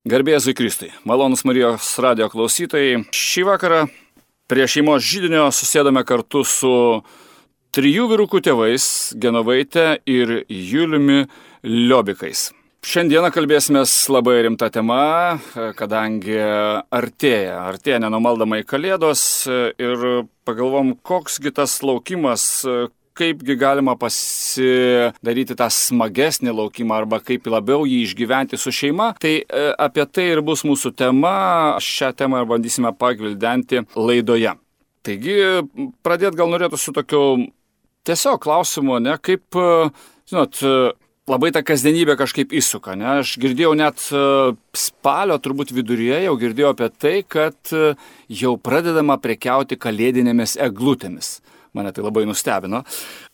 Garbė Jėzui Kristui. Malonūs Marijos radijo klausytojai. Šį vakarą prie šeimos židinio susėdame kartu su 3 vyrukų tėvais Genovaite ir Juliumi Liobikais. Šiandieną kalbėsime labai rimta tema, kadangi artėja nenumaldomai Kalėdos ir pagalvom, koksgi tas laukimas, kaipgi galima pasidaryti tą smagesnį laukimą arba kaip labiau jį išgyventi su šeima. Tai apie tai ir bus mūsų tema. Šią temą ir bandysime pagvildenti laidoje. Taigi, pradėti gal norėtų su tokiu tiesiog klausimu, kaip, labai ta kasdienybė kažkaip įsuka. Aš girdėjau net spalio turbūt viduryje, jau girdėjau apie tai, kad jau pradedama prekiauti kalėdinėmis eglutėmis. Mane tai labai nustebino.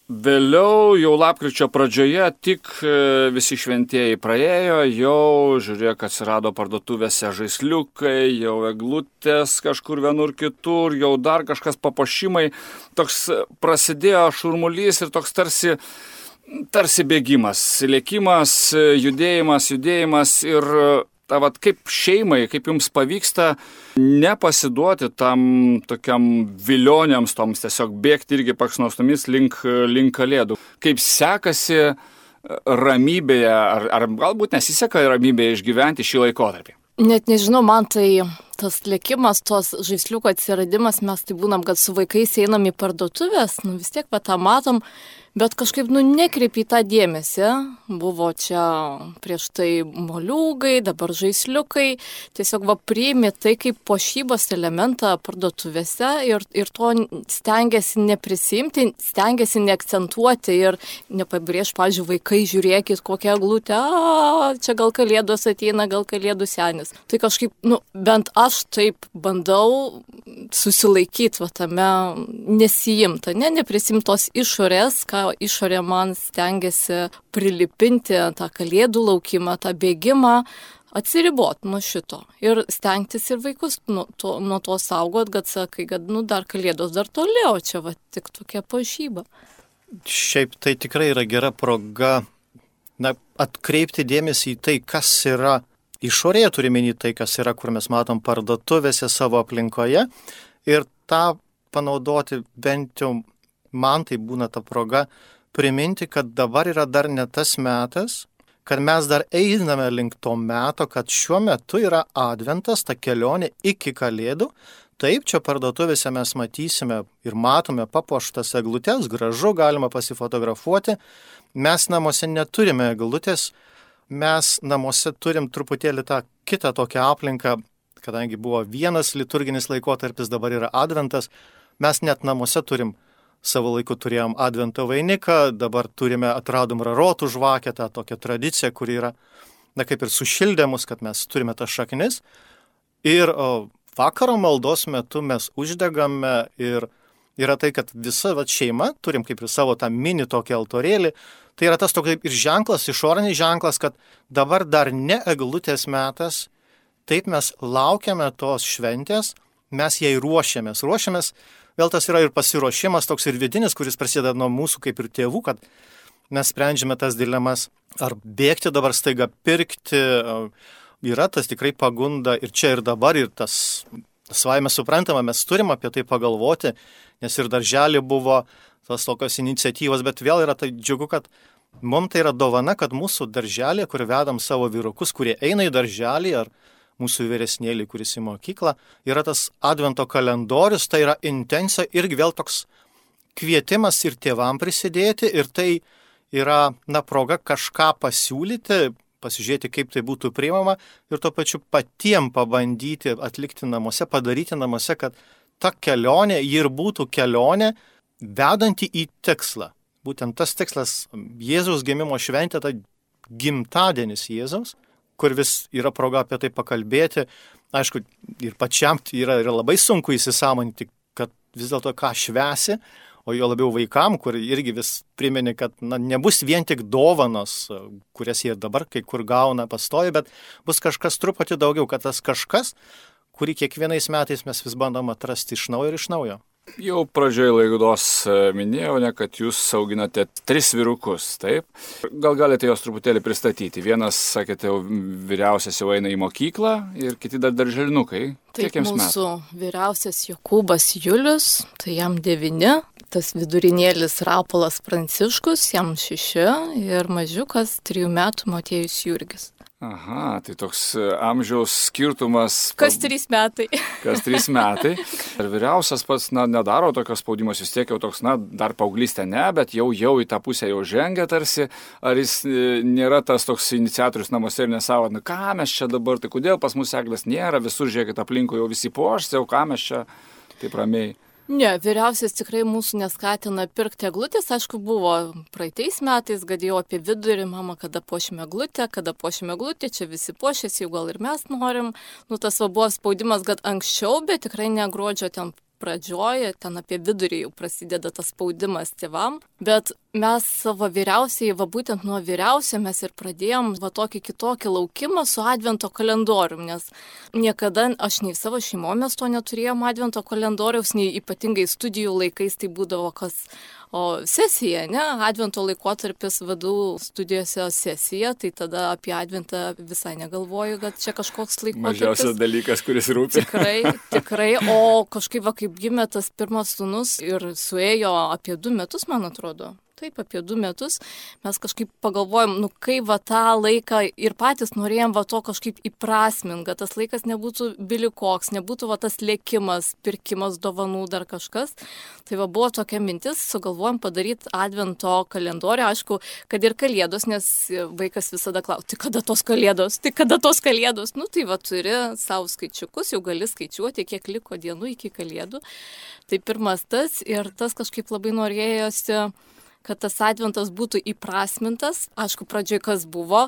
Vėliau, jau lapkričio pradžioje, tik visi šventieji praėjo, jau žiūrėk, atsirado parduotuvėse žaisliukai, jau eglutės kažkur vienur kitur, jau dar kažkas papuošimai. Toks prasidėjo šurmulys ir toks tarsi bėgimas, lėkimas, judėjimas ir kaip šeimai, kaip jums pavyksta nepasiduoti tam tokiam vilioniams, toms tiesiog bėgti irgi paksnostomis link Kalėdų. Kaip sekasi ramybėje, ar galbūt nesiseka ramybėje išgyventi šį laikotarpį? Net nežinau, man tai tas lėkimas, tos žaisliuko atsiradimas, mes tai būnam, kad su vaikais einam į parduotuvės, vis tiek tą matom, bet kažkaip nekreipi į tą dėmesį. Buvo čia prieš tai moliūgai, dabar žaisliukai. Tiesiog priimi tai kaip puošybos elementą parduotuvėse ir to stengiasi neprisimti, stengiasi neakcentuoti ir nepabrėž, pavyzdžiui, vaikai, žiūrėkit, kokią eglutę, čia gal Kalėdos ateina, gal Kalėdų senis. Tai kažkaip, bent aš taip bandau susilaikyti tame, nesijimta, neprisimtos išorės, ką išorė man stengiasi prilipinti tą Kalėdų laukimą, tą bėgimą, atsiriboti nuo šito ir stengtis ir vaikus nuo to saugot, kad sakai, kad dar Kalėdos dar toliau, čia tik tokia puošyba. Šiaip tai tikrai yra gera proga atkreipti dėmesį į tai, kas yra išorėje, turime į tai, kas yra, kur mes matom parduotuvėse savo aplinkoje ir tą panaudoti bent jau man tai būna ta proga priminti, kad dabar yra dar ne tas metas, kad mes dar einame link to meto, kad šiuo metu yra adventas, ta kelionė iki Kalėdų. Taip, čia parduotuvėse mes matysime ir matome papuoštas eglutės, gražu, galima pasifotografuoti. Mes namuose neturime eglutės, mes namuose turim truputėlį tą kitą tokią aplinką, kadangi buvo vienas liturginis laikotarpis, dabar yra adventas, mes net namuose turim. Savo laiku turėjom advento vainiką, dabar atradom rarotų žvakę, tą tokią tradiciją, kuri yra, kaip ir sušildė mus, kad mes turime tas šaknis. Ir vakaro maldos metu mes uždegame ir yra tai, kad visa šeima, turim kaip ir savo tą mini tokį altorėlį, tai yra tas toks ir ženklas, išorinis ženklas, kad dabar dar ne eglutės metas, taip mes laukiame tos šventės, mes jai ruošiamės. Vėl tas yra ir pasiruošimas, toks ir vidinis, kuris prasideda nuo mūsų kaip ir tėvų, kad mes sprendžiame tas dilemas, ar bėgti dabar staiga pirkti, yra tas tikrai pagunda ir čia ir dabar, ir tas savaime suprantama, mes turim apie tai pagalvoti, nes ir darželį buvo tos tokios iniciatyvos, bet vėl yra tai džiugu, kad mums tai yra dovana, kad mūsų darželį, kur vedam savo vyrukus, kurie eina į darželį, ar mūsų vyresnėlį, kuris į mokyklą, yra tas advento kalendorius, tai yra intencija irgi vėl toks kvietimas ir tėvam prisidėti ir tai yra proga kažką pasiūlyti, pasižiūrėti, kaip tai būtų priimama ir tuo pačiu patiem pabandyti atlikti namuose, padaryti namuose, kad ta kelionė ir būtų kelionė vedanti į tikslą. Būtent tas tikslas Jėzaus gimimo šventė, tai gimtadienis Jėzaus, kur vis yra proga apie tai pakalbėti. Aišku, ir pačiam yra labai sunku įsisąmoninti, kad vis dėlto ką švęsi, o jo labiau vaikam, kur irgi vis primeni, kad nebus vien tik dovanos, kurias jie dabar kai kur gauna pastovi, bet bus kažkas truputį daugiau, kad tas kažkas, kurį kiekvienais metais mes vis bandom atrasti iš naujo ir iš naujo. Jau pradžioje laidos minėjau, kad jūs auginate 3 vyrukus, taip? Gal galite juos truputėlį pristatyti? Vienas, sakėte, vyriausias jau eina į mokyklą ir kiti dar darželinukai. Taip, mūsų vyriausias Jokūbas Julius, tai jam 9, tas vidurinėlis Rapolas Pranciškus, jam 6 ir mažiukas 3 metų Motiejus Jurgis. Aha, tai toks amžiaus skirtumas. Kas 3 metai. Kas 3 metai. Ir vyriausias pats, nedaro tokios spaudimas, vis tiek jau toks, dar paauglystė ne, bet jau į tą pusę jau žengia tarsi. Ar jis nėra tas toks iniciatorius namuose ir nesavo, ką mes čia dabar, tai kodėl pas mus eglės nėra, visur žiūrėkit aplinkui jau visi pošti, jau ką mes čia taip ramiai. Ne, vyriausias tikrai mūsų neskatina pirkti eglutės, aišku, buvo praeitais metais, gadėjau apie vidurį, mama, kada puošime eglutę, čia visi puošėsi, jau gal ir mes norim. Tas buvo spaudimas, kad anksčiau, bet tikrai ne gruodžio ten pradžioje, ten apie vidurį jau prasideda tas spaudimas tėvam, bet mes savo vyriausiai, būtent nuo vyriausio mes ir pradėjom tokį kitokį laukimą su advento kalendorium, nes niekada aš nei savo šeimoje mes to neturėjom advento kalendoriaus, nei ypatingai studijų laikais tai būdavo o sesija, ne, advento laikotarpis vadų studijose sesija, tai tada apie adventą visai negalvoju, kad čia kažkoks laikotarpis. Mažiausias dalykas, kuris rūpi. Tikrai, o kažkaip kaip gimė tas pirmas sūnus ir suėjo apie 2 metus, man atrodo. Taip, apie 2 metus mes kažkaip pagalvojom, kaip tą laiką ir patys norėjom to kažkaip įprasminti, kad tas laikas nebūtų bilikoks, nebūtų tas lėkimas, pirkimas dovanų, dar kažkas. Tai buvo tokia mintis, sugalvojom padaryti advento kalendorių, aišku, kad ir kalėdos, nes vaikas visada klausia, tai kada tos kalėdos? Tai turi savo skaičiukus, jau gali skaičiuoti, kiek liko dienų iki kalėdų. Tai pirmas tas ir tas kažkaip labai norėjosi, kad tas adventas būtų įprasmintas. Aišku, pradžioj kas buvo?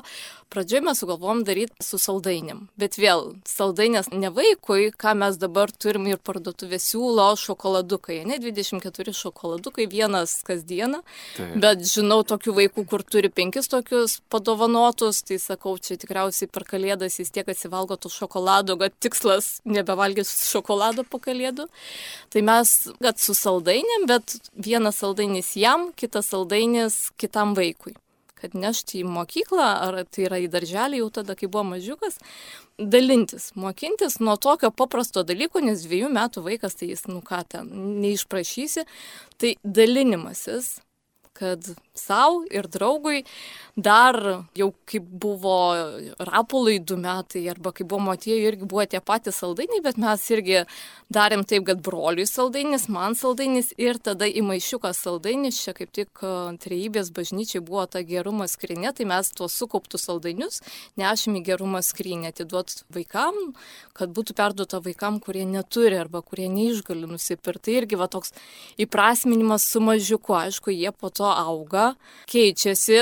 Pradžioj mes sugalvom daryti su saldainėm. Bet vėl, saldainės ne vaikui, ką mes dabar turim ir parduotuvė siūlo šokoladukai. Ne 24 šokoladukai, vienas kasdieną. Taip. Bet žinau tokių vaikų, kur turi 5 tokius padovanotus. Tai sakau, čia tikriausiai per kalėdas jis tiek atsivalgo tų šokoladų, kad tikslas nebevalgys šokolado po kalėdų. Tai mes, kad su saldainėm, bet vienas saldainis jam, kitas saldainis kitam vaikui. Kad nešti į mokyklą, ar tai yra į darželį jau tada, kai buvo mažiukas, dalintis, mokintis nuo tokio paprasto dalyko, nes 2 metų vaikas, tai jis, neišprašysi, tai dalinimasis, kad savo ir draugui dar jau kaip buvo Rapolui 2 metai, arba kaip buvo Motiejui, irgi buvo tie patys saldainiai, bet mes irgi darėm taip, kad broliui saldainis, man saldainis ir tada į maišiuką saldainis, čia kaip tik Trejybės bažnyčiai buvo ta gerumo skrinė, tai mes tuos sukauptus saldainius nešėm į gerumo skrinę, atiduot vaikam, kad būtų perduota vaikam, kurie neturi arba kurie neišgali nusipirkti. Tai irgi toks įprasminimas su mažiuku, aišku, jie po to auga, keičiasi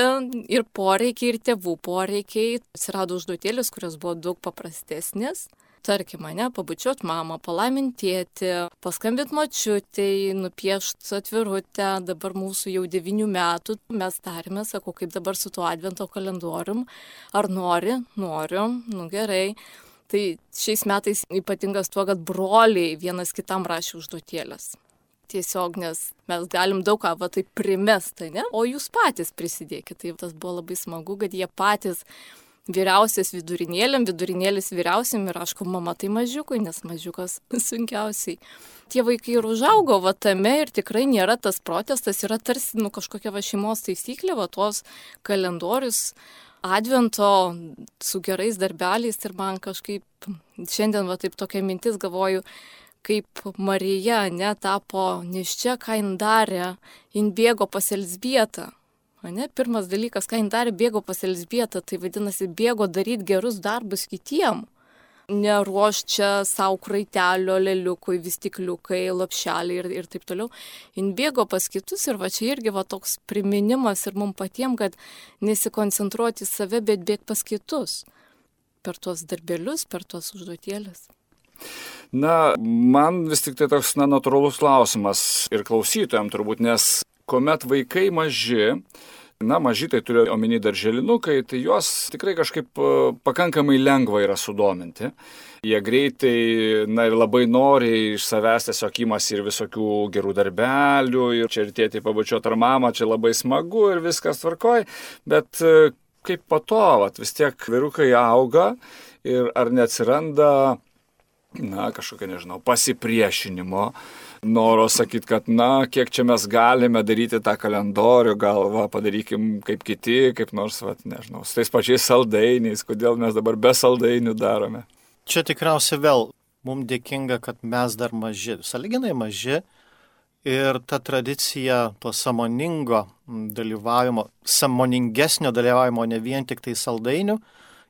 ir poreikiai, ir tėvų poreikiai. Atsirado užduotėlės, kurios buvo daug paprastesnės. Tarkim, pabučiuot mamą, palaiminti tėtį, paskambint močiutei, nupiešt atvirutę, dabar mūsų jau 9 metų. Mes tarėme, sakau, kaip dabar su tuo advento kalendorium, ar noriu, gerai. Tai šiais metais ypatingas tuo, kad broliai vienas kitam rašė užduotėlės. Tiesiog, nes mes galim daug ką taip primesti, ne? O jūs patys prisidėkite. Tai tas buvo labai smagu, kad jie patys vyriausias vidurinėliam, vidurinėlis vyriausiam ir aišku, mama tai mažiukui, nes mažiukas sunkiausiai. Tie vaikai ir užaugo tame ir tikrai nėra tas protestas, yra tarsi kažkokia šeimos taisyklė, tuos kalendorius advento su gerais darbeliais ir man kažkaip šiandien taip tokia mintis galvoju, kaip Marija tapo nėščia, ką jin darė, jin bėgo pas Elzbietą. Pirmas dalykas, ką jin darė, bėgo pas Elzbietą, tai vadinasi, bėgo daryti gerus darbus kitiem. Neruoš čia savo kraitelio, leliukui, vystikliukai, lopšeliai ir taip toliau. Jin bėgo pas kitus ir čia irgi toks priminimas ir mums patiems, kad nesikoncentruoti į save, bet bėgti pas kitus. Per tuos darbelius, per tuos užduotėlės. Man vis tik tai toks natūralus klausimas ir klausytojams turbūt, nes kuomet vaikai maži, mažytai turiu omeny darželinukai, tai juos tikrai kažkaip pakankamai lengva yra sudominti. Jie greitai, ir labai noriai iš savęs tiesiog imasi ir visokių gerų darbelių, ir čia ir tėtį pabučiuot ar mamą, čia labai smagu ir viskas tvarkoj, bet kaip po to, vis tiek vyrukai auga ir ar neatsiranda, kažkokio, pasipriešinimo, noro sakyti, kad, kiek čia mes galime daryti tą kalendorių, gal padarykim kaip kiti, kaip nors, su tais pačiais saldainiais, kodėl mes dabar be saldainių darome. Čia tikriausiai vėl mums dėkinga, kad mes dar maži, sąlyginai maži ir ta tradicija to sąmoningo dalyvavimo, sąmoningesnio dalyvavimo, ne vien tik tai saldainių,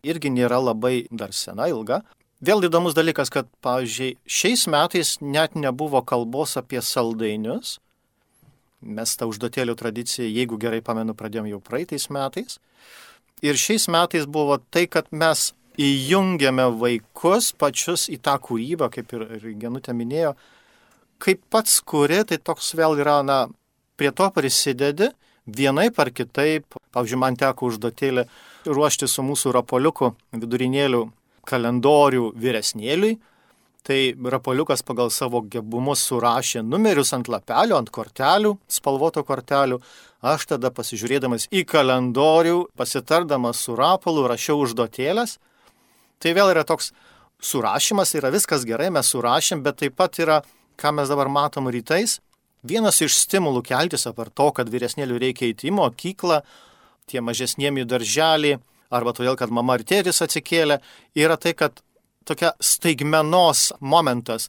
irgi nėra labai dar sena, ilga. Vėl įdomus dalykas, kad, pavyzdžiui, šiais metais net nebuvo kalbos apie saldainius. Mes tą užduotėlių tradiciją, jeigu gerai pamenu, pradėjom jau praeitais metais. Ir šiais metais buvo tai, kad mes įjungiame vaikus pačius į tą kūrybą, kaip ir Genutė minėjo, kaip pats kuri, tai toks vėl yra, prie to prisidedi, vienaip ar kitaip. Pavyzdžiui, man teko užduotėlį ruošti su mūsų rapoliuku vidurinėlių kalendorių vyresnėliui. Tai rapoliukas pagal savo gebumus surašė numerius ant lapelių, ant kortelių, spalvoto kortelių. Aš tada pasižiūrėdamas į kalendorių, pasitardamas su rapolu, rašiau užduotėlės. Tai vėl yra toks surašymas, yra viskas gerai, mes surašėm, bet taip pat yra, ką mes dabar matom rytais, vienas iš stimulų keltis apart to, kad vyresnėlių reikia eiti į mokyklą, tie mažesniem į darželį, arba todėl, kad mama ir tėtis atsikėlė, yra tai, kad tokia staigmenos momentas.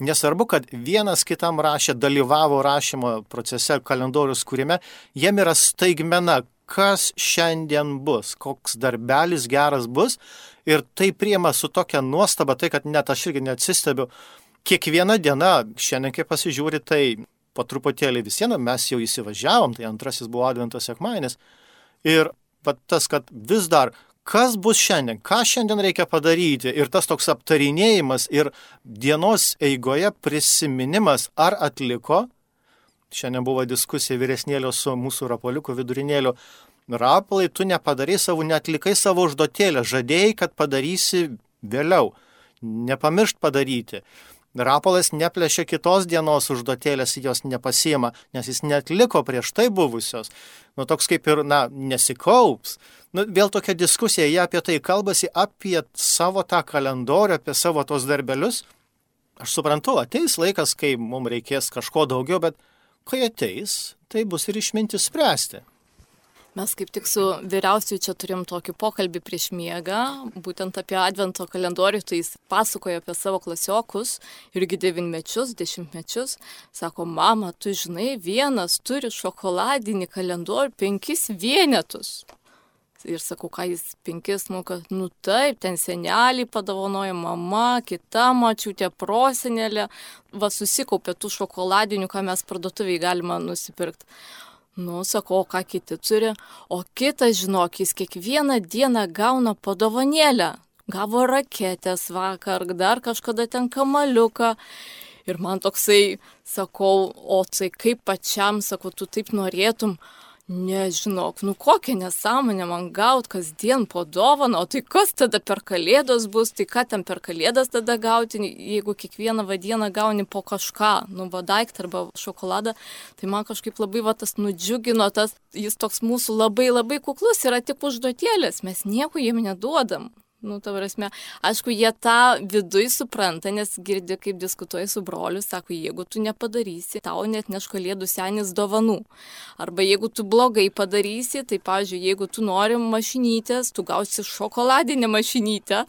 Nesvarbu, kad vienas kitam rašė, dalyvavo rašymo procese kalendorius kūrime, jiem yra staigmena, kas šiandien bus, koks darbelis geras bus, ir tai priima su tokia nuostaba, tai kad net aš irgi neatsistebiu. Kiekviena diena, šiandien kai pasižiūri, tai po truputėlį visieną mes jau įsivažiavom, tai antrasis buvo Advento sekmadienis, ir tas, kad vis dar, kas bus šiandien, ką šiandien reikia padaryti, ir tas toks aptarinėjimas ir dienos eigoje prisiminimas, ar atliko. Šiandien buvo diskusija vyresnėlio su mūsų rapoliuku vidurinėliu. Rapolai, tu neatlikai savo užduotėlę, žadėjai, kad padarysi vėliau. Nepamiršt padaryti. Rapolas neplėšė kitos dienos užduotėlės, jos nepasiima, nes jis neatliko prieš tai buvusios. Toks kaip ir, nesikaups. Vėl tokia diskusija, jie apie tai kalbasi, apie savo tą kalendorių, apie savo tos darbelius. Aš suprantu, ateis laikas, kai mums reikės kažko daugiau, bet kai ateis, tai bus ir išmintis spręsti. Mes kaip tik su vyriausiu čia turim tokį pokalbį prieš miegą, būtent apie Advento kalendorių, tai jis pasakojo apie savo klasiokus, irgi 9-mečius, 10-mečius. Sako, mama, tu žinai, vienas turi šokoladinį kalendorių 5 vienetus. Ir sakau, ką jis 5, taip, ten senelį padovanojo mama, kita močiutė, prosenelė, susikaupė tų šokoladinių, ką mes parduotuviai galima nusipirkti. Sakau, ką kiti turi, o kitas, žinok, jis kiekvieną dieną gauna padovanėlę. Gavo raketės vakar, dar kažkada ten kamaliuką. Ir man toksai, sakau, o tai kaip pačiam, sakau, tu taip norėtum. Nežinok, kokią nesąmonę man gaut kasdien po dovaną, o tai kas tada per kalėdos bus, tai ką ten per kalėdas tada gauti, jeigu kiekvieną dieną gauni po kažką, daiktą arba šokoladą, tai man kažkaip labai tas nudžiugino, jis toks mūsų labai labai kuklus, yra tik užduotėlės, mes nieko jiem neduodam. Aišku, jie tą viduj supranta, nes girdi, kaip diskutuoja su broliu, sako, jeigu tu nepadarysi, tau net neš kalėdų senis dovanų. Arba jeigu tu blogai padarysi, tai, pavyzdžiui, jeigu tu nori mašinytės, tu gausi šokoladinę mašinytę.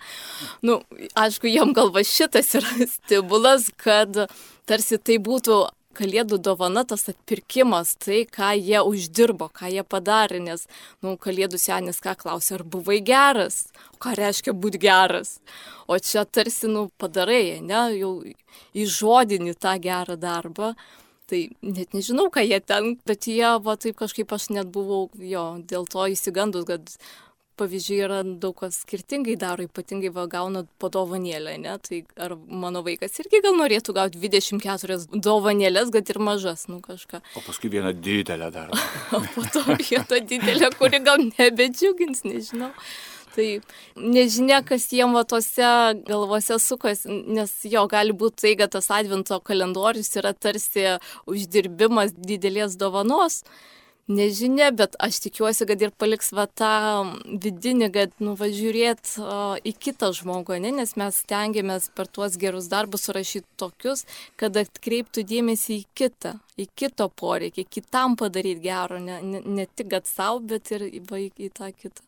Aišku, jam galva šitas yra stimulas, kad tarsi tai būtų kalėdų dovana, tas atpirkimas, tai, ką jie uždirbo, ką jie padarė, nes, kalėdų senis ką klausė, ar buvai geras, o ką reiškia būti geras. O čia tarsi, padarai, jau įžodini tą gerą darbą, tai net nežinau, ką jie ten, bet jie, taip kažkaip aš net buvau, dėl to įsigandus, kad pavyzdžiui, yra daug kas skirtingai daro, ypatingai gauna po dovanėlę, ne? Tai ar mano vaikas irgi gal norėtų gauti 24 dovanėlės, kad ir mažas, kažką. O paskui vieną didelę dar. O po to vieną didelę, kuri gal nebedžiugins, nežinau. Tai nežinia, kas jiem tose galvose sukas, nes jo gali būti tai, kad tas advento kalendorius yra tarsi uždirbimas didelės dovanos. Nežinia, bet aš tikiuosi, kad ir paliks tą vidinį, kad žiūrėt į kitą žmogų, ne? Nes mes stengiamės per tuos gerus darbus surašyti tokius, kad atkreiptų dėmesį į kitą, į kito poreikį, kitam padaryti gero, ne tik kad savo, bet ir į tą kitą.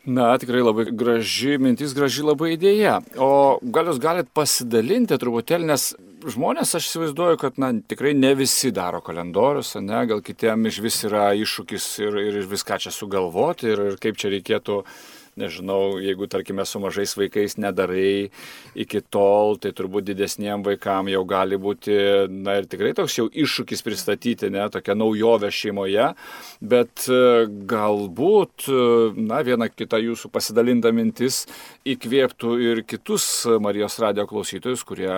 Na, tikrai labai graži mintis, graži labai idėja. O gal jūs galite pasidalinti truputėlį, nes žmonės, aš įsivaizduoju, kad tikrai ne visi daro kalendorius, ne, gal kitiem iš vis yra iššūkis ir viską čia sugalvoti ir kaip čia reikėtų, nežinau, jeigu, tarkime, su mažais vaikais nedarai iki tol, tai turbūt didesniem vaikam jau gali būti, ir tikrai toks jau iššūkis pristatyti, ne, tokia naujovė šeimoje, bet galbūt, viena kita jūsų pasidalinta mintis įkvėptų ir kitus Marijos radijo klausytojus, kurie,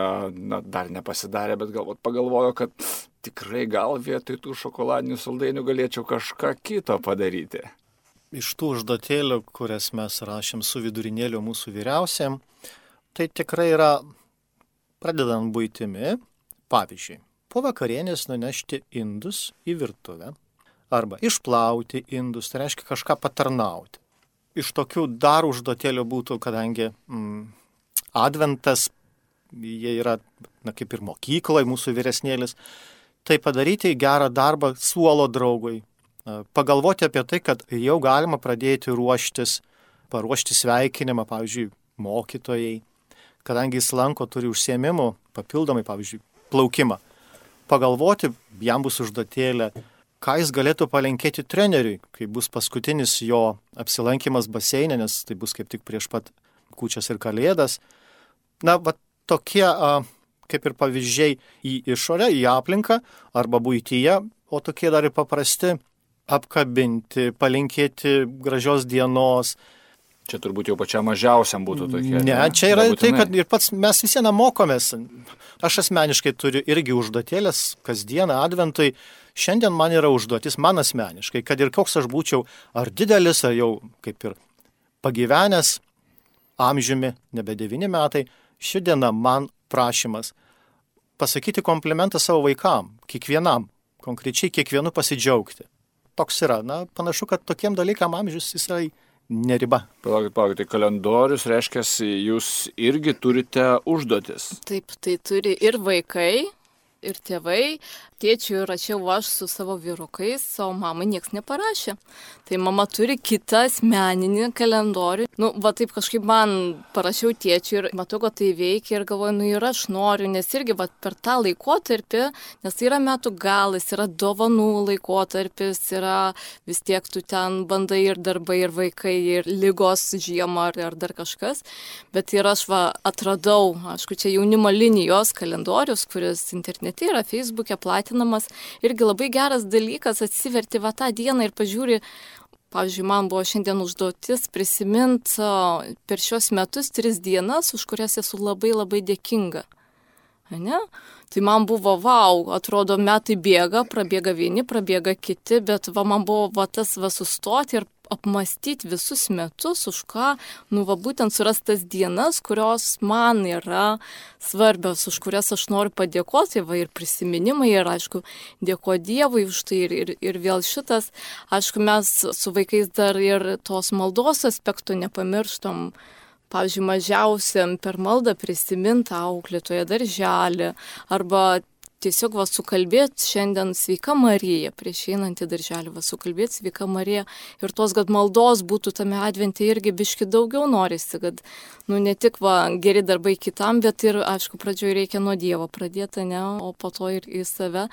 dar nepasidarė, bet galbūt pagalvojo, kad tikrai gal vietoj tų šokoladinių saldainių galėčiau kažką kito padaryti. Iš tų užduotėlių, kurias mes rašėm su vidurinėliu mūsų vyriausiam, tai tikrai yra, pradedant buitimi, pavyzdžiui, po vakarienės nunešti indus į virtuvę, arba išplauti indus, tai reiškia kažką patarnauti. Iš tokių dar užduotėlių būtų, kadangi adventas, jie yra, kaip ir mokykloje, mūsų vyresnėlis, tai padaryti gerą darbą suolo draugui. Pagalvoti apie tai, kad jau galima pradėti paruošti sveikinimą, pavyzdžiui, mokytojai, kadangi jis lanko, turi užsiėmimų, papildomai, pavyzdžiui, plaukimą. Pagalvoti, jam bus užduotėlė, ką jis galėtų palinkėti treneriui, kai bus paskutinis jo apsilankimas baseine, nes tai bus kaip tik prieš pat kūčias ir kalėdas. Tokie kaip ir pavyzdžiai į išorę, į aplinką arba buityje, o tokie dar ir paprasti apkabinti, palinkėti gražios dienos. Čia turbūt jau pačiam mažiausiam būtų tokie. Ne, čia yra tai, kad ir pats mes visieną mokomės. Aš asmeniškai turiu irgi užduotėlės kasdieną adventui. Šiandien man yra užduotis, man asmeniškai, kad ir koks aš būčiau, ar didelis, ar jau kaip ir pagyvenęs amžiumi, nebe 9 metai, ši diena man prašymas pasakyti komplimentą savo vaikam, kiekvienam, konkrečiai kiekvienu pasidžiaugti. Toks yra. Panašu, kad tokiem dalykam amžius jisai neriba. Palaukit, tai kalendorius reiškia, jūs irgi turite užduotis. Taip, tai turi ir vaikai, ir tėvai. Tėčiui rašiau aš su savo vyrukais, o mamai nieks neparašė. Tai mama turi kitą asmeninį kalendorių. Taip kažkaip man parašiau tėčiui ir matau, kad tai veikia ir galvoju, ir aš noriu, nes irgi per tą laikotarpį, nes tai yra metų galas, yra dovanų laikotarpis, yra vis tiek tu ten bandai ir darbai, ir vaikai, ir lygos žiemą, ar dar kažkas. Bet ir aš atradau, aišku, čia jaunimo linijos kalendorius, kuris internete yra, Facebook'e platinamas. Irgi labai geras dalykas, atsiverti tą dieną ir pažiūri. Pavyzdžiui, man buvo šiandien užduotis prisiminti per šios metus 3 dienas, už kurias esu labai labai dėkinga. Ne? Tai man buvo, atrodo, metai bėga, prabėga vieni, prabėga kiti, bet man buvo tas sustoti ir apmastyti visus metus, už ką, būtent surastas dienas, kurios man yra svarbios, už kurias aš noriu padėkoti, ir prisiminimai, ir aišku, dėkoju Dievui už tai, ir vėl šitas, aišku, mes su vaikais dar ir tos maldos aspektų nepamirštam. Pavyzdžiui, mažiausiam per maldą prisiminti auklėtoje darželį arba tiesiog sukalbėti šiandien sveika Marija, prieš einant į darželį sukalbėti sveika Marija ir tos, kad maldos būtų tame advente irgi biški daugiau norisi, kad ne tik geri darbai kitam, bet ir, aišku, pradžioje reikia nuo Dievo pradėti, o po to ir į save.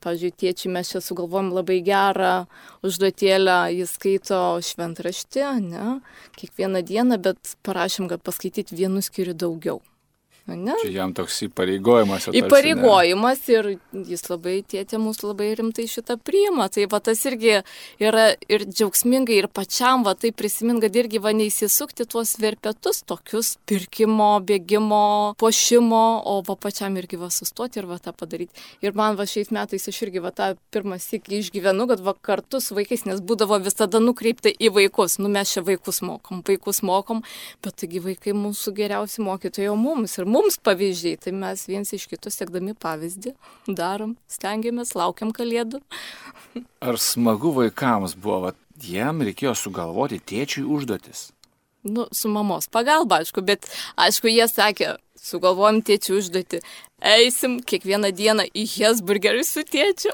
Pavyzdžiui, tėčiai, mes čia sugalvojom labai gerą užduotėlę, jis skaito šventraštį, kiekvieną dieną, bet parašėm, kad paskaityti vienu skyriu daugiau. Ne? Čia jam toks įpareigojimas. Įpareigojimas ir jis labai, tėtė mūsų labai rimtai šitą priima. Tai va tas irgi yra ir džiaugsmingai, ir pačiam va tai prisimint, kad irgi va neįsisukti tuos verpetus, tokius pirkimo, bėgimo, puošimo, o va pačiam irgi va sustoti ir va tą padaryti. Ir man va šiais metais aš irgi va tą pirmą sykį išgyvenu, kad va kartu su vaikais, nes būdavo visada nukreipta į vaikus. Nu mes čia vaikus mokom, bet taigi vaikai mūsų geriausi mokytojai, o mums pavyzdžiai, tai mes viens iš kitų sekdami pavyzdį darom, stengiamės, laukiam kalėdų. Ar smagu vaikams buvo, jam reikėjo sugalvoti tėčiui užduotis? Nu, su mamos pagalba, aišku, bet aišku, jie sakė, sugalvojom tėčiui užduotį, eisim kiekvieną dieną į Hesburgerį su tėčiu.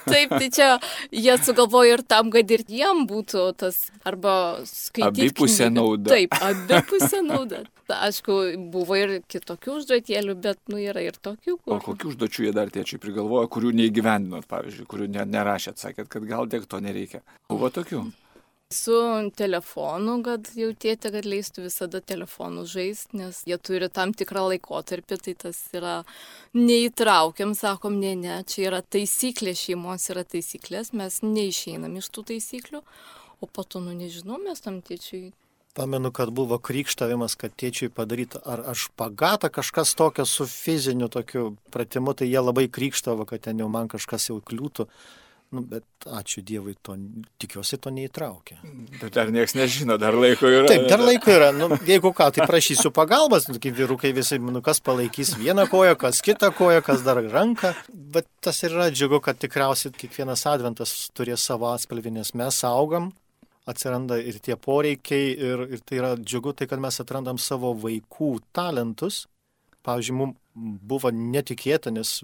Taip, tai čia jie sugalvojo ir tam, kad ir jiem būtų tas, arba skaityti. Abipusė nauda. Taip, abipusė nauda. Aišku, buvo ir kitokių užduotėlių, bet yra ir tokių. O kokių užduočių jie dar tėčiui prigalvojo, kurių neįgyvendinot, pavyzdžiui, kurių nerašėt, sakėt, kad gal tiek to nereikia. Buvo tokių? Su telefonu, kad jau tėtė, kad leistų visada telefonu žaisti, nes jie turi tam tikrą laikotarpį, tai tas yra neįtraukiam, sakom, ne, čia yra taisyklė, šeimos yra taisyklės, mes neišeinam iš tų taisyklių, o po to, nežinau, mes tam tėčiui. Pamenu, kad buvo krikštavimas, kad tėčiui padaryta ar špagatą, kažkas tokio su fiziniu tokiu pratimu, tai jie labai krikštavo, kad ten jau man kažkas jau kliūtų. Bet ačiū Dievui, tikiuosi to neįtraukė. Bet dar niekas nežino, dar laiko yra. Taip, dar laiko yra. Jeigu ką, tai prašysiu pagalbas, kaip vyrukai visi, kas palaikys vieną koją, kas kitą koją, kas dar ranką. Bet tas yra džiugu, kad tikriausiai kiekvienas adventas turės savo atspalvį, nes mes augam, atsiranda ir tie poreikiai, ir tai yra džiugu, tai kad mes atrandam savo vaikų talentus. Pavyzdžiui, mums buvo netikėta, nes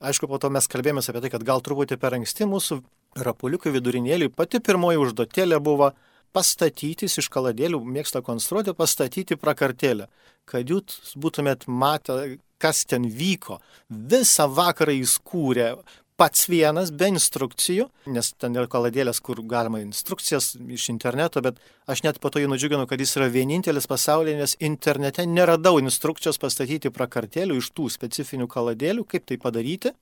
aišku, po to mes kalbėjomės apie tai, kad gal truputį per anksti mūsų rapuliukų vidurinėliui pati pirmoji užduotėlė buvo pastatyti iš kaladėlių, mėgsta konstruoti, pastatyti prakartėlę, kad jūs būtumėt matę, kas ten vyko. Visą vakarą jis kūrė pats vienas, be instrukcijų, nes ten yra kaladėlės, kur galima instrukcijas iš interneto, bet aš net po to jį nudžiuginu, kad jis yra vienintelis pasaulyje, nes internete neradau instrukcijos pastatyti prakartėlių iš tų specifinių kaladėlių, kaip tai padaryti.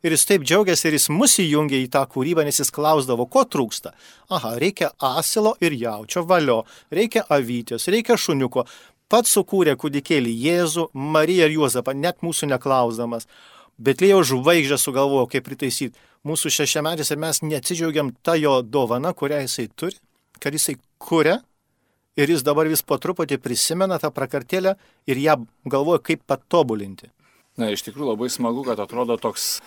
Ir jis taip džiaugiasi ir jis mus įjungė į tą kūrybą, nes jis klausdavo, ko trūksta. Aha, reikia asilo ir jaučio, valio, reikia avytės, reikia šuniuko. Pats sukūrė kūdikėlį Jėzų, Mariją ir Juozapą, net mūsų neklausdamas. Betliejaus žvaigždę sugalvojo, kaip pritaisyti mūsų 6-metis ir mes neatsidžiaugiam tą jo dovaną, kurią jisai turi, kad jisai kuria ir jis dabar vis po truputį prisimena tą prakartėlę ir ją galvoja, kaip patobulinti. Na, iš tikrųjų labai smagu, kad atrodo toks,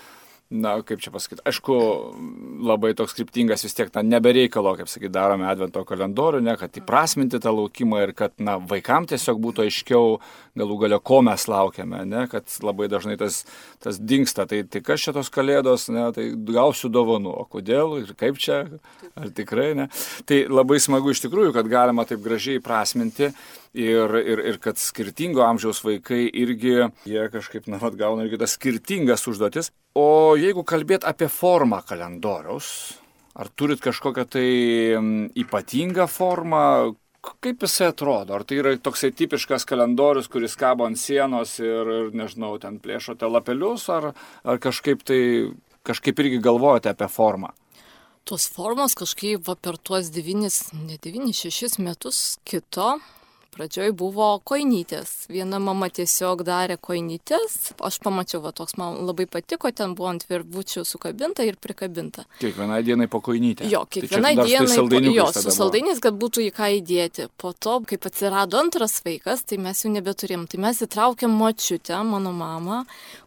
kaip čia pasakyti, aišku, labai toks kryptingas vis tiek, nebereikalo, kaip sakyti, darome advento kalendorių, kad įprasminti tą laukimą ir kad, vaikams tiesiog būtų aiškiau galų gale, ko mes laukiame, kad labai dažnai tas dingsta, tai kas čia tos kalėdos, tai gausiu dovanų, o kodėl ir kaip čia, ar tikrai, Tai labai smagu iš tikrųjų, kad galima taip gražiai įprasminti ir kad skirtingo amžiaus vaikai irgi, jie kažkaip, gauna irgi tas skirtingas užduotis. O jeigu kalbėt apie formą kalendoriaus, ar turit kažkokią tai ypatingą formą, kaip jisai atrodo? Ar tai yra toksai tipiškas kalendorius, kuris kabo ant sienos ir nežinau, ten plėšote lapelius, ar kažkaip irgi galvojate apie formą? Tos formos kažkaip per tuos 6 metus kito. Pradžioj buvo koinytės. Viena mama tiesiog darė koinytės. Aš pamačiau, toks man labai patiko, ten buvo ant virvučių sukabinta ir prikabinta. Kiekvienai dienai po koinytę. Jo, kiekvienai dienai su saldainiais, kad būtų į ką įdėti. Po to, kaip atsirado antras vaikas, tai mes jau nebeturėjom. Tai mes įtraukėm močiutę, mano mamą,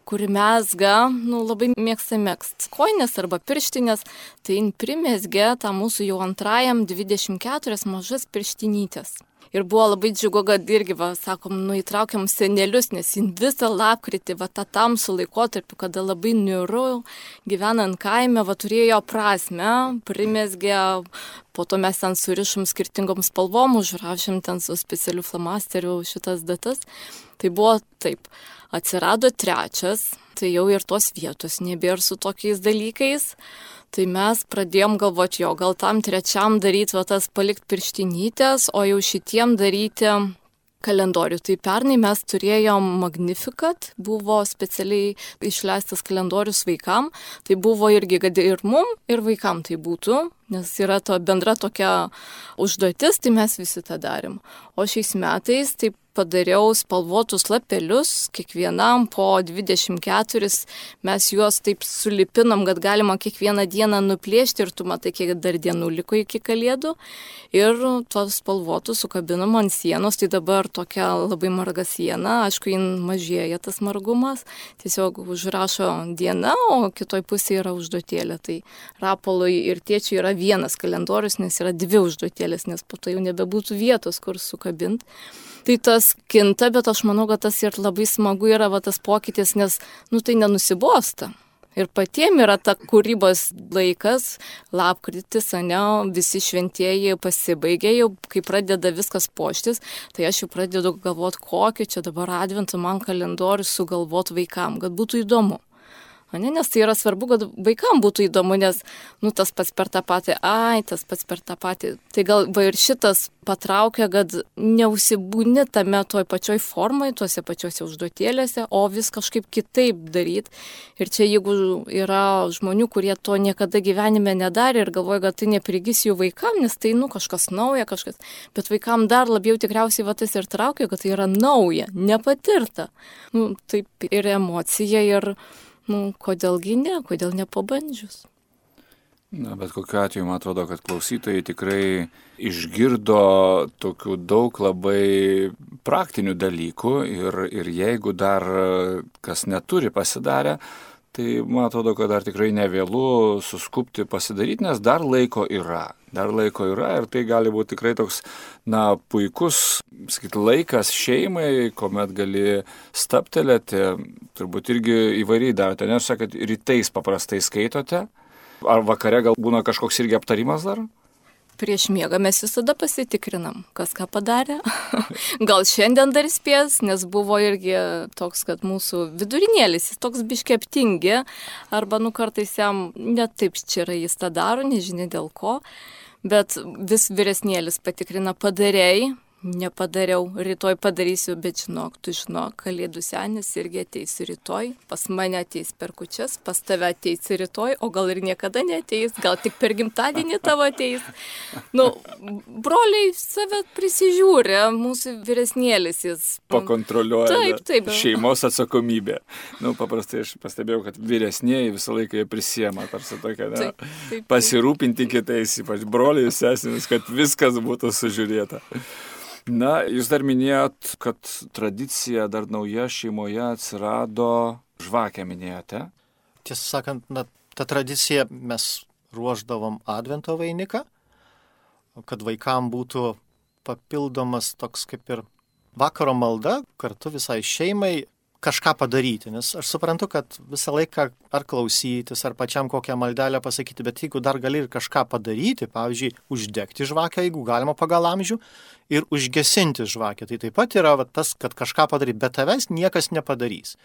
kuri mezga, labai mėgsta megzti koinės arba pirštinės. Tai primezgė tą mūsų jau antrajam 24 mažas pirštinytės. Ir buvo labai džiugu, kad irgi, sakom, įtraukiam senelius, nes visą lapkritį, tą tamsų laikotarpį, kada labai niūru, gyvenant kaime, turėjo prasme, primezgė, po to mes ten surišom skirtingom spalvom, užrašėm ten su specialiu flamasteriu šitas datas. Tai buvo taip. Atsirado trečias, tai jau ir tos vietos nebėra su tokiais dalykais. Tai mes pradėjom galvoti, gal tam trečiam daryti tas palikti pirštinytės, o jau šitiem daryti kalendorių. Tai pernai mes turėjom Magnificat, buvo specialiai išleistas kalendorius vaikam. Tai buvo irgi, kad ir mum, ir vaikam tai būtų, nes yra to bendra tokia užduotis, tai mes visi tą darėm. O šiais metais taip padariau spalvotus lapelius, kiekvienam po 24, mes juos taip sulipinam, kad galima kiekvieną dieną nuplėšti ir tu matai, kiek dar dienų liko iki kalėdų. Ir tuos spalvotus sukabinam ant sienos, tai dabar tokia labai marga siena, aišku, jin mažėja tas margumas, tiesiog užrašo diena, o kitoj pusėje yra užduotėlė. Tai Rapolui ir tėčiui yra vienas kalendorius, nes yra 2 užduotėlės, nes po to jau nebebūtų vietos, kur sukabinti. Tai tas kinta, bet aš manau, kad tas ir labai smagu yra tas pokytis, nes, tai nenusibosta. Ir patiem yra ta kūrybos laikas, lapkritis, visi šventieji pasibaigė, jau kai pradeda viskas puoštis, tai aš jau pradedu galvoti, kokį čia dabar adventą man kalendorių sugalvoti vaikam, kad būtų įdomu. Nes tai yra svarbu, kad vaikam būtų įdomu, nes tas pats per tą patį, tas pats per tą patį. Tai gal ir šitas patraukia, kad neusibūni tame toj pačioj formai, tuose pačiuose užduotėlėse, o vis kažkaip kitaip daryti. Ir čia jeigu yra žmonių, kurie to niekada gyvenime nedarė ir galvoja, kad tai neprigis jų vaikam, nes tai kažkas nauja, kažkas. Bet vaikam dar labiau tikriausiai tas ir traukia, kad tai yra nauja, nepatirta. Taip ir emocija ir... kodėlgi ne, kodėl nepabandžius? Bet kokiu atveju, man atrodo, kad klausytojai tikrai išgirdo tokių daug labai praktinių dalykų ir jeigu dar kas neturi pasidarę, tai man atrodo, kad dar tikrai nevėlu suskupti pasidaryti, nes dar laiko yra. Dar laiko yra ir tai gali būti tikrai toks, puikus, laikas šeimai, kuomet gali staptelėti, turbūt irgi įvairiai darote, nes kad rytais paprastai skaitote, ar vakare gal būna kažkoks irgi aptarimas dar? Prieš miegą mes visada pasitikrinam, kas ką padarė. Gal šiandien dar spės, nes buvo irgi toks, kad mūsų vidurinėlis, jis toks biški aptingi, arba kartais jam net taip čia yra jis tą daro, nežinia dėl ko. Bet vis vyresnėlis patikrina, padarėjai, nepadariau, rytoj padarysiu, bet tu žinok, Kalėdų senis irgi ateis rytoj, pas mane ateis per kūčias, pas tave ateis rytoj, o gal ir niekada neateis, gal tik per gimtadienį tavo ateis. Broliai save prisižiūri, mūsų vyresnėlis jis. Pakontroliuoja. Taip. Šeimos atsakomybė. Paprastai aš pastebėjau, kad vyresnėji visą laiką jie prisiema, tarsi tokia, taip. Pasirūpinti kitais, ypač broliai ir sesėmis, kad viskas būtų sužiūrėta. Jūs dar minėjot, kad tradicija dar nauja šeimoje atsirado, žvakę minėjote? Tiesą sakant, ta tradicija mes ruošdavom advento vainiką, kad vaikam būtų papildomas toks kaip ir vakaro malda, kartu visai šeimai kažką padaryti, nes aš suprantu, kad visą laiką ar klausytis, ar pačiam kokią maldelę pasakyti, bet jeigu dar gali ir kažką padaryti, pavyzdžiui, uždegti žvakę, jeigu galima pagal amžių, ir užgesinti žvakę, tai taip pat yra tas, kad kažką padaryti, bet tavęs niekas nepadarys.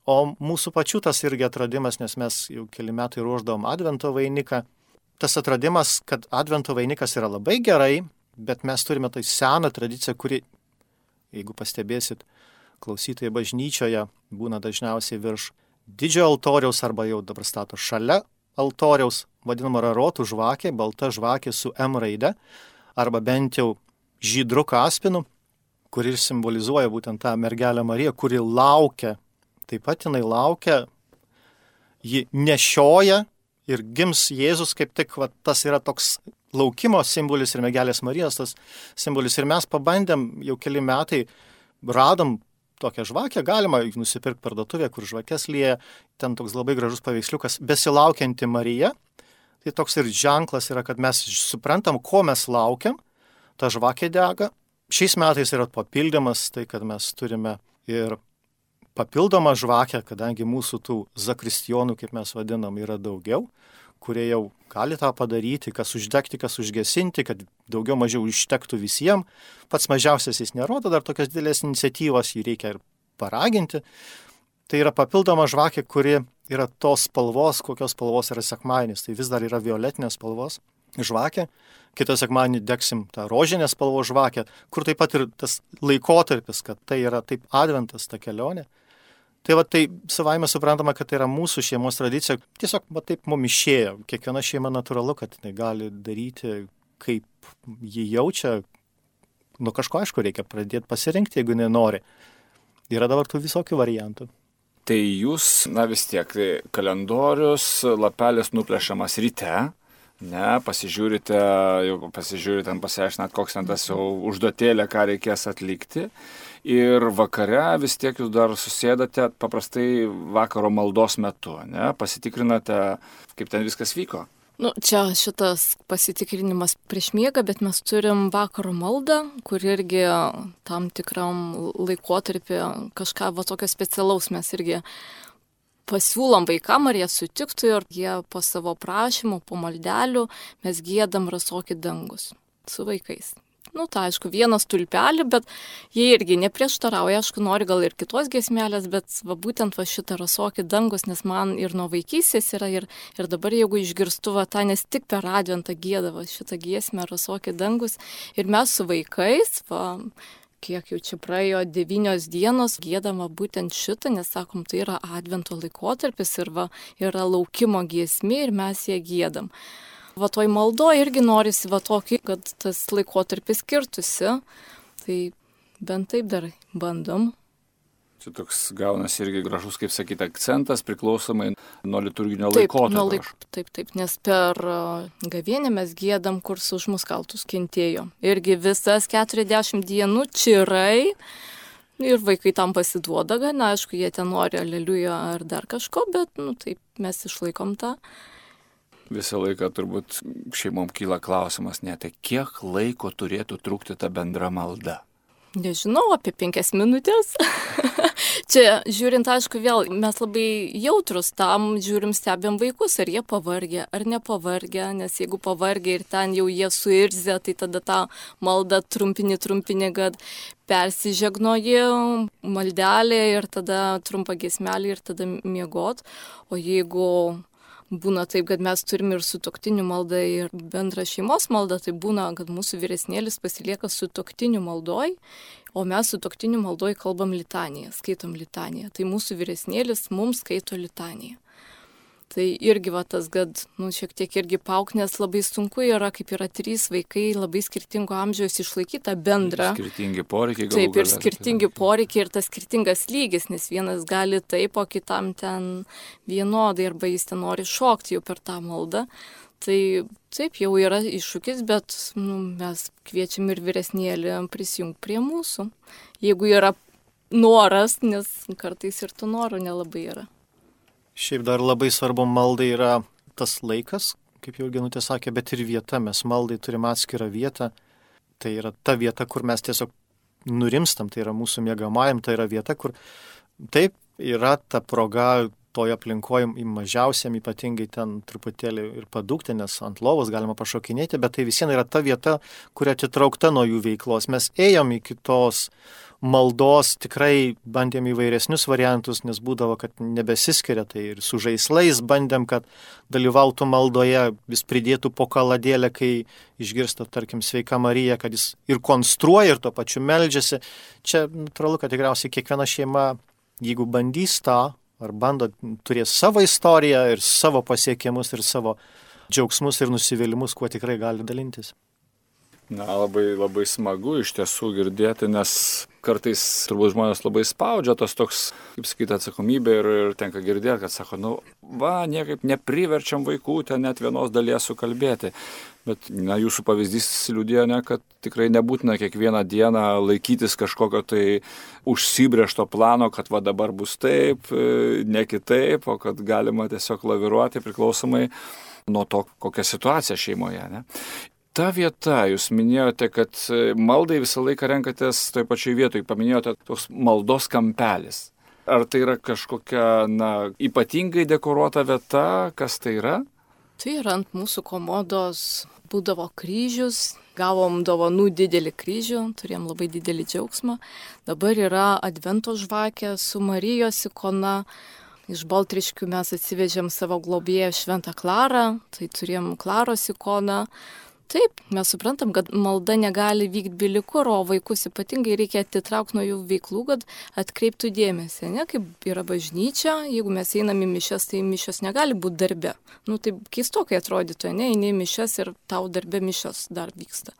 O mūsų pačių tas irgi atradimas, nes mes jau keli metai ruošdavom advento vainiką, tas atradimas, kad advento vainikas yra labai gerai, bet mes turime tai seną tradiciją, kuri, jeigu pastebėsit, klausytojai bažnyčioje būna dažniausiai virš didžiojo altoriaus arba jau dabar stato šalia altoriaus, vadinama rarotų žvakė, balta žvakė su M raide, arba bent jau žydru kaspinu, kuri simbolizuoja būtent tą mergelę Mariją, kuri laukia, taip pat jinai laukia, ji nešioja ir gims Jėzus, kaip tik tas yra toks laukimo simbolis ir mergelės Marijos tas simbolis. Ir mes pabandėm jau keli metai, radom tokią žvakę, galima nusipirkti parduotuvėje, kur žvakės lieja, ten toks labai gražus paveiksliukas, besilaukianti Marija. Tai toks ir ženklas yra, kad mes suprantam, ko mes laukiam, ta žvakė dega. Šiais metais yra papildymas, tai kad mes turime ir papildomą žvakę, kadangi mūsų tų zakristijonų, kaip mes vadinam, yra daugiau, kurie jau gali tą padaryti, kas uždegti, kas užgesinti, kad daugiau mažiau ištektų visiems. Pats mažiausias jis nerodo dar tokias didelės iniciatyvos, jį reikia ir paraginti. Tai yra papildoma žvakė, kuri yra tos spalvos, kokios spalvos yra sekmadienis. Tai vis dar yra violetinės spalvos. žvakę, kitą sekmadienį degsim tą rožinę spalvos žvakę, kur taip pat ir tas laikotarpis, kad tai yra taip adventas, ta kelionė. Tai va tai savaime suprantama, kad tai yra mūsų šeimos tradicija, tiesiog va taip mum išėjo. Kiekviena šeima natūralu, kad jinai gali daryti, kaip jį jaučia. Nu kažko aišku reikia pradėti pasirinkti, jeigu nenori. Yra dabar tų visokių variantų. Tai jūs, vis tiek, kalendorius, lapelis nuplešamas ryte, pasižiūrite, pasiaiškinat, koks ten tas jau užduotėlė, ką reikės atlikti. Ir vakare vis tiek jūs dar susėdate paprastai vakaro maldos metu, pasitikrinate, kaip ten viskas vyko. Čia šitas pasitikrinimas prieš miegą, bet mes turim vakaro maldą, kur irgi tam tikram laikotarpį kažką tokio specialaus mes irgi pasiūlom vaikam, ar jie sutiktų ir jie po savo prašymų, po maldelių mes giedam Rasokį dangus su vaikais. Tai aišku, vienas tulpelį, bet jie irgi neprieštarauja, aišku, nori gal ir kitos giesmelės, bet būtent šitą Rasokį dangus, nes man ir nuo vaikystės yra ir dabar jeigu išgirstu tą, nes tik per adventą giedavo šitą giesmę Rasokį dangus ir mes su vaikais, kiek jau čia praėjo 9 dienos, giedama būtent šitą, nes sakom, tai yra advento laikotarpis ir yra laukimo giesmė ir mes ją giedam. Toj maldo irgi norisi tokį, kad tas laikotarpis skirtusi, tai bent taip dar bandom. Čia toks gaunasi irgi gražus, kaip sakyti, akcentas priklausomai nuo liturginio laikotarpio. Taip, nes per gavėnią mes giedam, kur už mus kaltus kentėjo. Irgi visas 40 dienų čirai ir vaikai tam pasiduoda, gana, aišku, jie ten nori aleliuja ar dar kažko, bet taip mes išlaikom tą. Visą laiką turbūt šeimom kyla klausimas, tai kiek laiko turėtų trukti ta bendra malda? Nežinau, apie 5 minutės. Čia, žiūrint, aišku, vėl mes labai jautrus tam, žiūrim, stebėm vaikus, ar jie pavargę, ar nepavargę, nes jeigu pavargę ir ten jau jie suirzę, tai tada tą maldą trumpini, kad persižegnoji maldelė ir tada trumpa giesmelė ir tada miegot. O jeigu būna taip, kad mes turim ir sutuoktinių maldą ir bendrą šeimos maldą, tai būna, kad mūsų vyresnėlis pasilieka sutuoktinių maldoj, o mes sutuoktinių maldoj kalbam litaniją, skaitom litaniją. Tai mūsų vyresnėlis mums skaito litaniją. Tai irgi tas, kad šiek tiek irgi pauk, nes labai sunku yra, kaip yra 3 vaikai, labai skirtingo amžiaus išlaikyti tą bendrą. Skirtingi poreikiai galų Taip, ir skirtingi poreikiai ir tas skirtingas lygis, nes vienas gali taip, o kitam ten vienodai, arba jis ten nori šokti jau per tą maldą. Tai taip jau yra iššūkis, bet mes kviečiam ir vyresnėlį prisijungti prie mūsų. Jeigu yra noras, nes kartais ir tų norų nelabai yra. Šiaip dar labai svarbu maldai yra tas laikas, kaip jau Genutė sakė, bet ir vieta. Mes maldai turim atskirą vietą. Tai yra ta vieta, kur mes tiesiog nurimstam, tai yra mūsų miegamajam, tai yra vieta, kur taip yra ta proga toje aplinkoje mažiausiam, ypatingai ten truputėlį ir padūkti, nes ant lovos galima pašokinėti, bet tai visien yra ta vieta, kuri atitraukta nuo jų veiklos. Mes ėjom iki tos maldos, tikrai bandėm įvairesnius variantus, nes būdavo, kad nebesiskiria, tai ir su žaislais bandėm, kad dalyvautų maldoje, vis pridėtų po kaladėlę, kai išgirsta, tarkim, Sveika Marija, kad jis ir konstruoja, ir tuo pačiu meldžiasi. Čia natūralu, kad tikriausiai kiekviena šeima, jeigu bandys tą, ar bando turės savo istoriją ir savo pasiekimus ir savo džiaugsmus ir nusivylimus, kuo tikrai gali dalintis. Labai, labai smagu iš tiesų girdėti, nes kartais turbūt žmonės labai spaudžia tos toks, kaip sakyti, atsakomybė ir tenka girdėti, kad sako, niekaip nepriverčiam vaikų ten net vienos dalies sukalbėti. Bet jūsų pavyzdys liudija, kad tikrai nebūtina kiekvieną dieną laikytis kažkokio tai užsibrėžto plano, kad dabar bus taip, ne kitaip, o kad galima tiesiog laviruoti priklausomai nuo to, kokia situacija šeimoje. Ne? Ta vieta, jūs minėjote, kad maldai visą laiką renkatės toj pačioj vietoj, paminėjote toks maldos kampelis. Ar tai yra kažkokia, ypatingai dekoruota vieta, kas tai yra? Tai yra ant mūsų komodos būdavo kryžius, gavom dovanų didelį kryžių, turėjom labai didelį džiaugsmą. Dabar yra advento žvakė su Marijos ikona, iš Baltriškių mes atsivežėm savo globėją Šventą Klarą, tai turėjom Klaros ikoną. Taip, mes suprantam, kad malda negali vykti bilikur, o vaikus ypatingai reikia atitraukti nuo jų veiklų, kad atkreiptų dėmesį, ne, kaip yra bažnyčia, jeigu mes einam į mišias, tai mišios negali būti darbe. Tai keistokai atrodytų, ne, eini į mišias ir tau darbe mišios dar vyksta.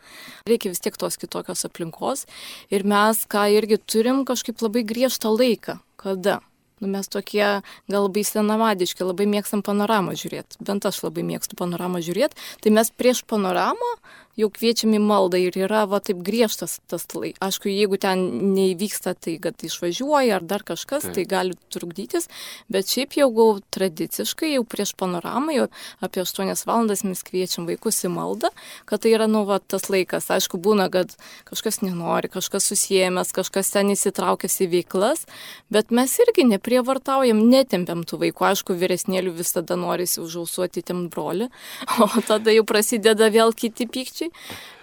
Reikia vis tiek tos kitokios aplinkos ir mes, ką irgi turim, kažkaip labai griežtą laiką, kada. Mes tokie gal labai senamadiški, labai mėgstam panoramą žiūrėti. Bent aš labai mėgstu panoramą žiūrėti. Tai mes prieš panoramą jau kviečiam į maldą ir yra taip griežtas tas laikas. Aišku, jeigu ten neįvyksta, tai kad išvažiuoja ar dar kažkas, tai gali trukdytis. Bet šiaip jau tradiciškai, jau prieš panoramą, jau apie 8 valandas mes kviečiam vaikus į maldą, kad tai yra tas laikas. Aišku, būna, kad kažkas nenori, kažkas susijęs, kažkas ten įsitraukęs į veiklas, bet mes irgi neprievartaujam, netempiam tų vaikų. Aišku, vyresnėlių visada norisi užausuoti tem brolį, o tada jau prasideda vėl kiti pykčiai.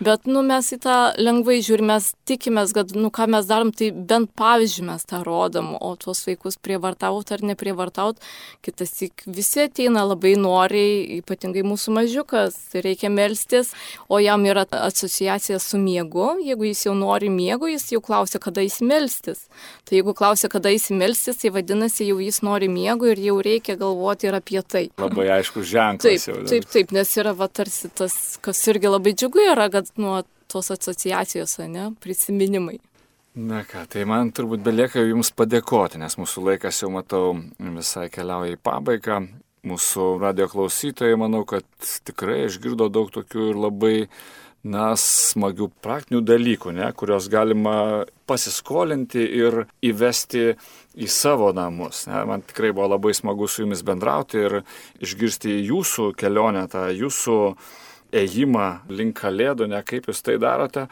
Bet mes į tą lengvai žiūrim, mes tikimės, kad ką mes darom, tai bent pavyzdžiui mes tą rodom, o tuos vaikus prievartaut ar neprievartaut, kitassyk visi ateina labai noriai, ypatingai mūsų mažiukas, tai reikia melstis, o jam yra asociacija su miegu, jeigu jis jau nori miego, jis jau klausia, kada jis melstis. Tai jeigu klausia, kada jis melstis, tai vadinasi, jau jis nori miego ir jau reikia galvoti ir apie tai. Labai aišku ženklas. Taip, nes yra tarsi tas, kas irgi labai džiugu yra, kad nuo tos asociacijos, prisiminimai. Na ką, tai man turbūt belieka jums padėkoti, nes mūsų laikas jau matau visai keliauja į pabaigą. Mūsų radio klausytojai, manau, kad tikrai išgirdo daug tokių ir labai smagių praktinių dalykų, kurios galima pasiskolinti ir įvesti į savo namus. Man tikrai buvo labai smagu su jumis bendrauti ir išgirsti jūsų kelionę, tą jūsų ėjimą link Kalėdų, kaip jūs tai darote.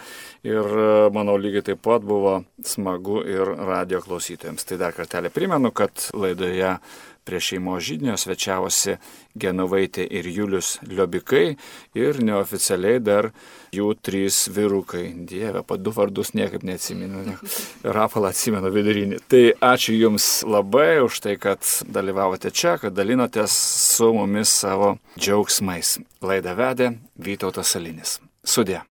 Ir manau, lygiai taip pat buvo smagu ir radio klausytojams. Tai dar kartelį primenu, kad laidoje prie šeimos židinio svečiavosi Genovaitė ir Julius Liobikai ir neoficialiai dar jų 3 vyrukai. Dieve, 2 vardus niekaip neatsimenu. Rapalą atsimenu vidurinį. Tai ačiū Jums labai už tai, kad dalyvavote čia, kad dalinotės su mumis savo džiaugsmais. Laidą vedė Vytautas Salinis. Sudie.